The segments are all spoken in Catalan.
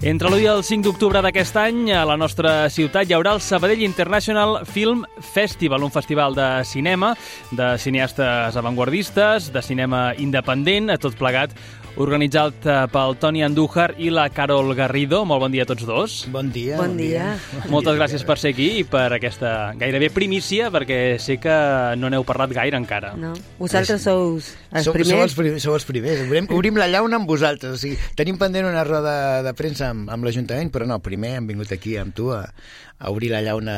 Entre l'1 i el 5 d'octubre d'aquest any, a la nostra ciutat hi haurà el Sabadell International Film Festival, un festival de cinema, de cineastes avantguardistes, de cinema independent, a tot plegat, organitzat pel Toni Andújar i la Carol Garrido. Molt bon dia a tots dos. Bon dia. Bon dia. Moltes gràcies per ser aquí i per aquesta gairebé primícia, perquè sé que no n'heu parlat gaire encara. No, vosaltres sou els primers. Sou els primers. Obrim la llauna amb vosaltres. O sigui, tenim pendent una roda de premsa amb l'Ajuntament, però no, primer hem vingut aquí amb tu a obrir la llauna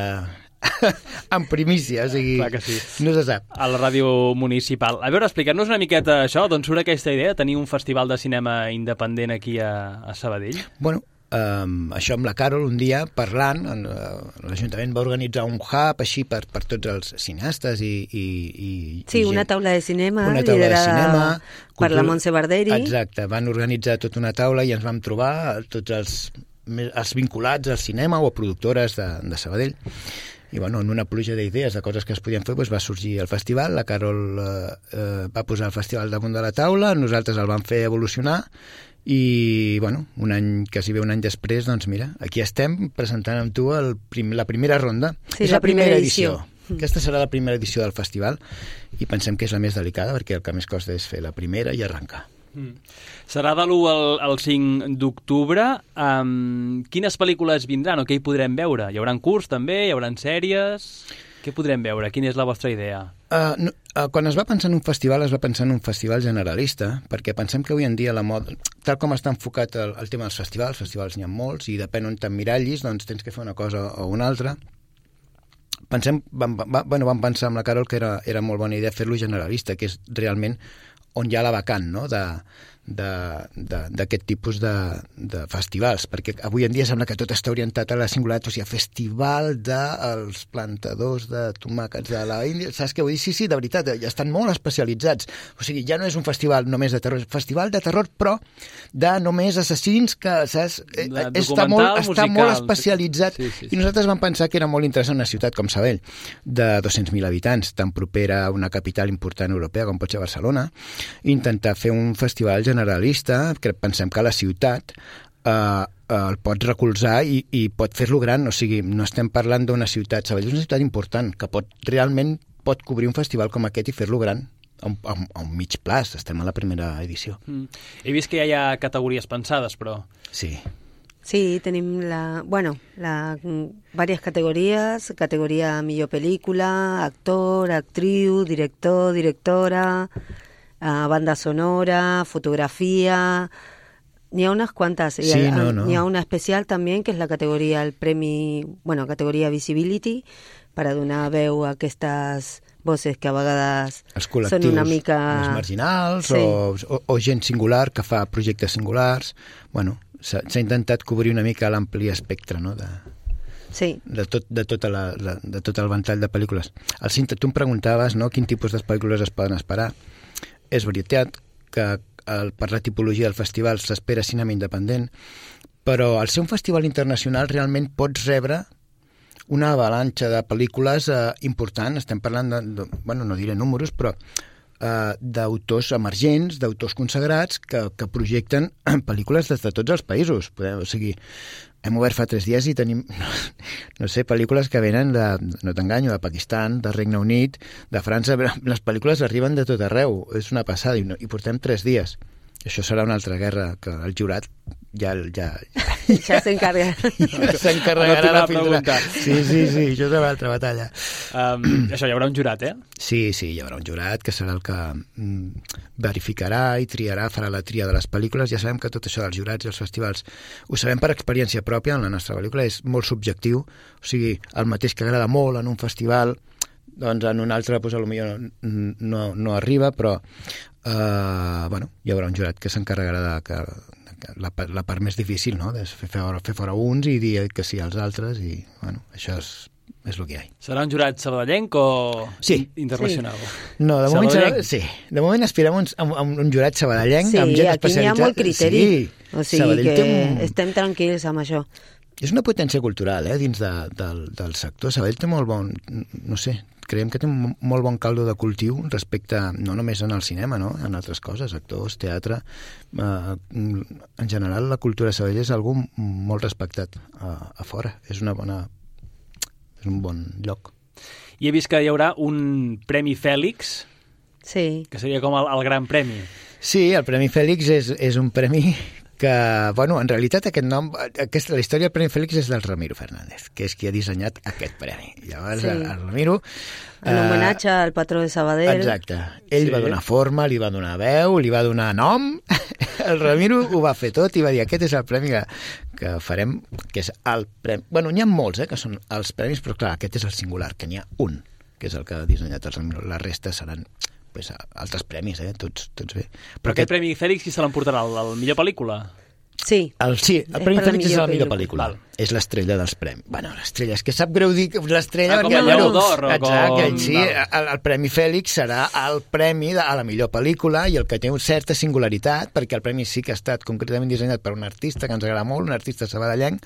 en primícia, o sigui, clar que sí. No se sap. A la ràdio municipal. A veure, explica'ns una miqueta això, d'on surt aquesta idea de tenir un festival de cinema independent aquí a Sabadell? Bueno, això amb la Carol un dia parlant, l'Ajuntament va organitzar un hub així per tots els cineastes Sí, una taula de cinema liderada per la Montse Barderi. Exacte, van organitzar tota una taula i ens vam trobar tots els vinculats al cinema o a productores de Sabadell. I bueno, en una pluja d'idees, de coses que es podien fer, doncs va sorgir el festival. La Carol va posar el festival damunt de la taula, nosaltres el vam fer evolucionar i, bueno, quasi un any després, doncs mira, aquí estem presentant amb tu la primera ronda. Sí, és la primera edició. Aquesta serà la primera edició del festival i pensem que és la més delicada perquè el que més costa és fer la primera i arrencar. Serà de l'1 al 5 d'octubre. Quines pel·lícules vindran o què hi podrem veure? Hi haurà curts també? Hi haurà sèries? Què podrem veure? Quina és la vostra idea? Quan es va pensar en un festival, es va pensar en un festival generalista, perquè pensem que avui en dia la moda, tal com està enfocat el tema dels festivals n'hi ha molts i depèn on t'emmirallis, doncs tens que fer una cosa o una altra. Vam pensar amb la Carol que era molt bona idea fer-lo generalista, que és realment on hi ha la vacant, no?, d'aquest tipus de festivals, perquè avui en dia sembla que tot està orientat a la singularitat, o sigui, festival dels plantadors de tomàquets de la Índia, saps què vull dir? Sí, de veritat, ja estan molt especialitzats, o sigui, ja no és un festival només de terror, és un festival de terror, però de només assassins que, saps, està molt especialitzat, sí. I nosaltres vam pensar que era molt interessant una ciutat com Sabadell, de 200.000 habitants, tan propera a una capital important europea com pot ser Barcelona, intentar fer un festival generalista, que pensem que la ciutat el pot recolzar i pot fer-lo gran, o sigui, no estem parlant d'una ciutat, Sabadell és una ciutat important, que realment pot cobrir un festival com aquest i fer-lo gran a un mig plaç, estem a la primera edició. He vist que ja hi ha categories pensades, però... Sí, tenim varias categorías, categoría millor pel·lícula, actor, actriu, director, directora, banda sonora, fotografía, ni a unas cuantas. Ni a una especial también, que és la categoria, el premi, categoria Visibility, per a donar veu a aquestes voces que a vegades són una mica... Els marginals, sí. o gent singular que fa projectes singulars. Bueno, s'ha intentat cobrir una mica l'ampli espectre, no?, de tot el ventall de pel·lícules. Al Cinta, tu em preguntaves, no?, quin tipus de pel·lícules es poden esperar. És veritat que per la tipologia del festival s'espera cinema independent, però al ser un festival internacional realment pots rebre una avalanxa de pel·lícules important. Estem parlant no diré números, però d'autors emergents, d'autors consagrats que projecten pel·lícules des de tots els països. O sigui, hem obert fa 3 dies i tenim, no sé, pel·lícules que venen no t'enganyo, de Pakistan, del Regne Unit, de França. Les pel·lícules arriben de tot arreu, és una passada, i portem 3 dies. Això serà una altra guerra que el jurat ja s'encarregarà. S'encarregarà de filtrar. Sí, això és una altra batalla. Això, hi haurà un jurat, eh? Sí, hi haurà un jurat que serà el que verificarà i triarà, farà la tria de les pel·lícules. Ja sabem que tot això dels jurats i els festivals ho sabem per experiència pròpia. En la nostra pel·lícula és molt subjectiu, o sigui, el mateix que agrada molt en un festival, doncs en un altre potser no arriba, però hi haurà un jurat que s'encarregarà de la part més difícil, no?, de fer fora uns i dir que sí als altres, i això és el que hi ha. Serà un jurat sabadellenc o internacional? Sí. No, de moment aspirem a un jurat sabadellenc amb gent especialitzat. Sí, aquí n'hi ha molt criteri, o sigui que estem tranquils amb això. És una potència cultural, dins del sector. Sabadell té molt bon, no sé, creiem que té un molt bon caldo de cultiu respecte, no només en el cinema, no? En altres coses, actors, teatre. En general, la cultura de Sabadell és algú molt respectat a fora. És un bon lloc. I he vist que hi haurà un Premi Fèlix, sí, que seria com el gran premi. Sí, el Premi Fèlix és un premi que, bueno, en realitat aquest nom, la història del Premi Fèlix és del Ramiro Fernández, que és qui ha dissenyat aquest premi. Llavors, sí. El Ramiro... En homenatge al patró de Sabadell. Exacte. Ell va donar forma, li va donar veu, li va donar nom. El Ramiro ho va fer tot i va dir aquest és el premi que farem, que és el premi... Bueno, n'hi ha molts, que són els premis, però clar, aquest és el singular, que n'hi ha un, que és el que ha dissenyat el Ramiro. La resta seran... pues, altres premis, tots bé. Però aquest Premi Fèlix qui se l'emportarà? El millor pel·lícula? Sí. El Premi Fèlix és la millor pel·lícula. És l'estrella dels premis. Bueno, l'estrella, és que sap greu dir que l'estrella... com el Lleó d'Or. Exacte, sí, el Premi Fèlix serà el premi a la millor pel·lícula i el que té una certa singularitat, perquè el premi sí que ha estat concretament dissenyat per un artista que ens agrada molt, un artista sabadellenc.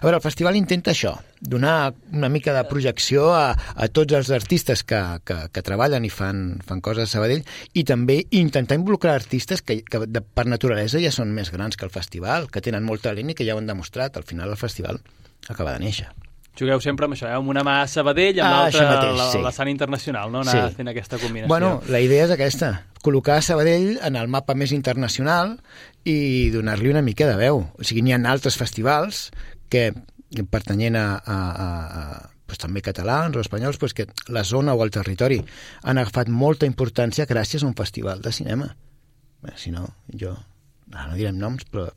A veure, el festival intenta això, donar una mica de projecció a tots els artistes que treballen i fan coses a Sabadell i també intentar involucrar artistes que per naturalesa ja són més grans que el festival, que tenen molt talent i que ja ho han demostrat. Al final el festival acaba de néixer. Jugueu sempre amb això, amb una mà a Sabadell, amb l'altra sí. La Sant Internacional, no? Anar fent aquesta combinació. Bueno, la idea és aquesta, col·locar Sabadell en el mapa més internacional i donar-li una mica de veu. O sigui, n'hi ha altres festivals que pertanyent pues, també catalans o espanyols, pues, que la zona o el territori han agafat molta importància gràcies a un festival de cinema. Bé, si no, no direm noms, però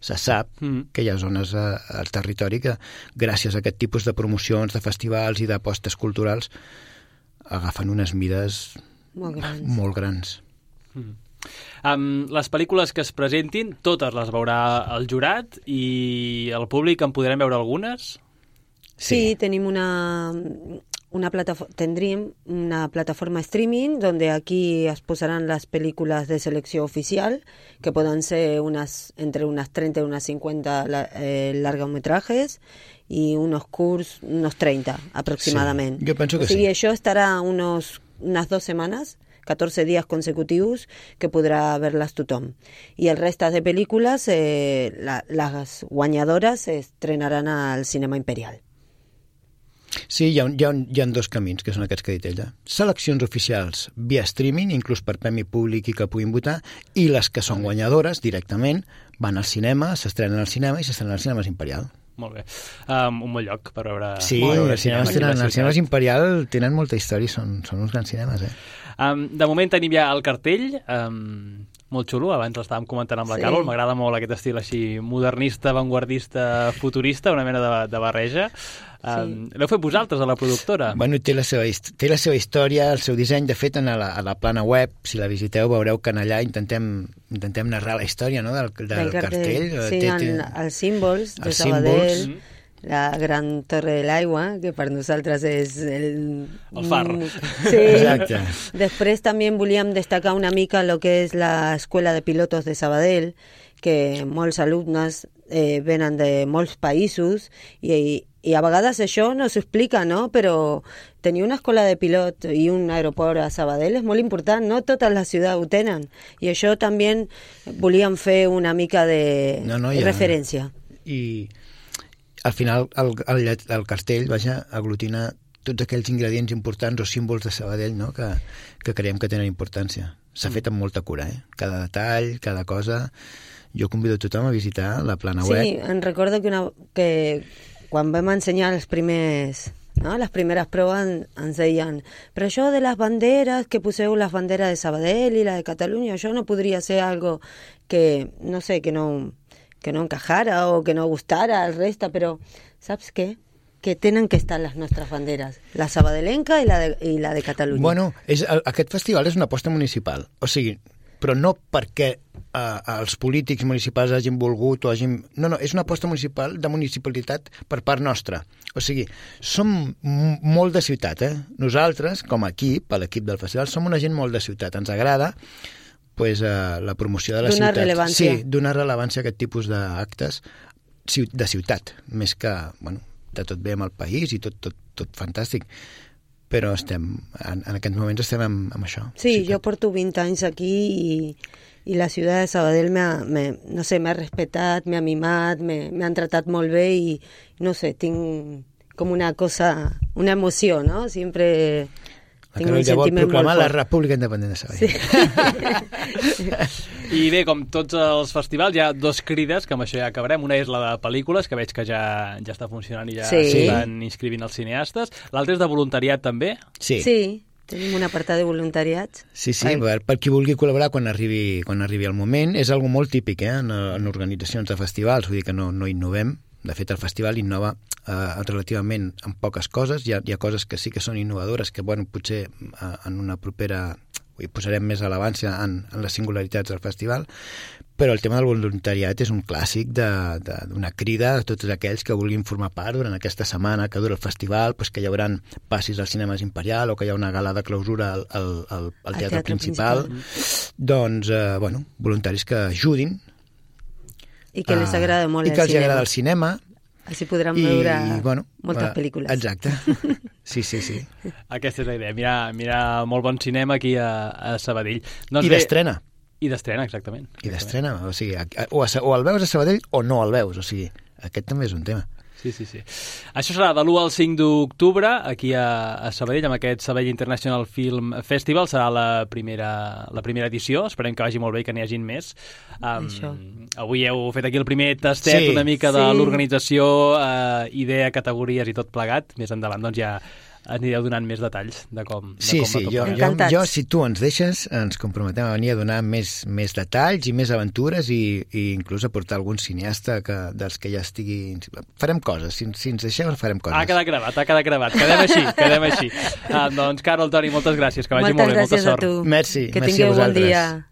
se sap que hi ha zones al territori que gràcies a aquest tipus de promocions, de festivals i d'apostes culturals agafen unes mides molt grans. Les pel·lícules que es presentin, totes les veurà el jurat i el públic en podrem veure algunes? Sí, tenim tendríem una plataforma streaming donde aquí es posaran las películas de selección oficial, que puedan ser entre unas 30 y unas 50 largometrajes y unos 30 aproximadamente. Sí, jo penso que sí. Això estarà unas 2 setmanes, 14 días consecutivos, que podrà ver-les tothom. I el reste de pel·lícules, les guanyadoras se estrenaran al Cinema Imperial. Sí, hi ha dos camins, que són aquests que ha dit ella. Seleccions oficials via streaming, inclús per premi públic i que puguin votar, i les que són guanyadores directament van al cinema, s'estrenen al cinema i s'estrenen al Cinema Imperial. Molt bé. Un bon lloc per veure... Sí, els cinemes Imperial tenen molta història, són uns grans cinemes, De moment tenim ja el cartell, molt xulo, abans l'estàvem comentant amb la Carol, m'agrada molt aquest estil així modernista, avantguardista, futurista, una mena de barreja. L'heu fet vosaltres, a la productora? Bueno, té la seva història, el seu disseny. De fet, a la plana web, si la visiteu, veureu que allà intentem narrar la història, no?, del cartell. Sí, els símbols de Sabadell, la gran Torre de l'Aigua, que per nosaltres és el far. Sí. Exacte. Després també volíem destacar una mica el que és l'Escola de Pilotos de Sabadell, que molts alumnes venen de molts països i a vegades això no s'explica, no? Però tenir una escola de pilot i un aeroport a Sabadell és molt important, no totes les ciutats ho tenen. I això també volíem fer una mica de referència. I al final el cartell aglutina tots aquells ingredients importants o símbols de Sabadell, no?, que creiem que tenen importància. S'ha fet amb molta cura, cada detall, cada cosa. Jo convido a tothom a visitar la plana web. Sí, em recordo que quan vam ensenyar les primeres proves ens deien, però això de les banderes, que poseu les banderes de Sabadell i la de Catalunya, això no podria ser algo que, no sé, que no encajara o que no gustara al resto, però saps què? Que tenen que estar les nostres banderes, la sabadellenca i la de Catalunya. Bueno, aquest festival és una aposta municipal, o sigui, però no perquè els polítics municipals hagin volgut o hagin... No, és una aposta municipal de municipalitat per part nostra. O sigui, som molt de ciutat, Nosaltres, com a equip, l'equip del festival, som una gent molt de ciutat. Ens agrada la promoció de la ciutat. Donar rellevància. Sí, donar rellevància a aquest tipus d'actes de ciutat, més que, de tot bé amb el país i tot fantàstic. però en aquests moments estem amb això. Sí, jo porto 20 anys aquí i la ciutat de Sabadell m'ha respetat, m'ha mimat, m'ha tratat molt bé i no sé, tinc com una emoció, ¿no? Siempre tinc un sentiment molt fort. La República Independent de Sabadell. Sí. I bé, com tots els festivals, hi ha dos crides, que amb això ja acabarem. Una és la de pel·lícules, que veig que ja està funcionant i ja estan inscrivint els cineastes. L'altra és de voluntariat, també? Sí. Tenim un apartat de voluntariats. Sí, per qui vulgui col·laborar quan arribi el moment. És algo molt típic en organitzacions de festivals, vull dir que no innovem. De fet, el festival innova relativament en poques coses. Hi ha coses que sí que són innovadores, que potser en una propera hi posarem més rellevància en les singularitats del festival, però el tema del voluntariat és un clàssic d'una crida a tots aquells que vulguin formar part durant aquesta setmana que dura el festival, que hi haurà passis als cinemes Imperial o que hi ha una gala de clausura al teatre principal. Doncs, voluntaris que ajudin i que les agrada molt el cinema. I que els agrada el cinema. Així podran veure moltes pel·lícules. Exacte. Sí. Aquesta és la idea, mirar molt bon cinema aquí a Sabadell. I d'estrena. I d'estrena, exactament. I d'estrena, o sigui, o el veus a Sabadell o no el veus, o sigui, aquest també és un tema. Sí. Això serà de l'1 al 5 d'octubre, aquí a Sabadell, amb aquest Sabadell International Film Festival. Serà la primera edició. Esperem que vagi molt bé i que n'hi hagin més. Avui heu fet aquí el primer tastet una mica de l'organització, idea, categories i tot plegat. Més endavant, doncs ja anireu donant més detalls de com va tot plegat. Jo, si tu ens deixes, ens comprometem a venir a donar més detalls i més aventures i inclús a portar algun cineasta dels que ja estigui... Farem coses, si ens deixeu farem coses. Ha quedat gravat. Quedem així. Doncs, Carol, Toni, moltes gràcies, que vagi molt bé, molta sort. Moltes gràcies a tu. Merci. Que tingueu bon dia.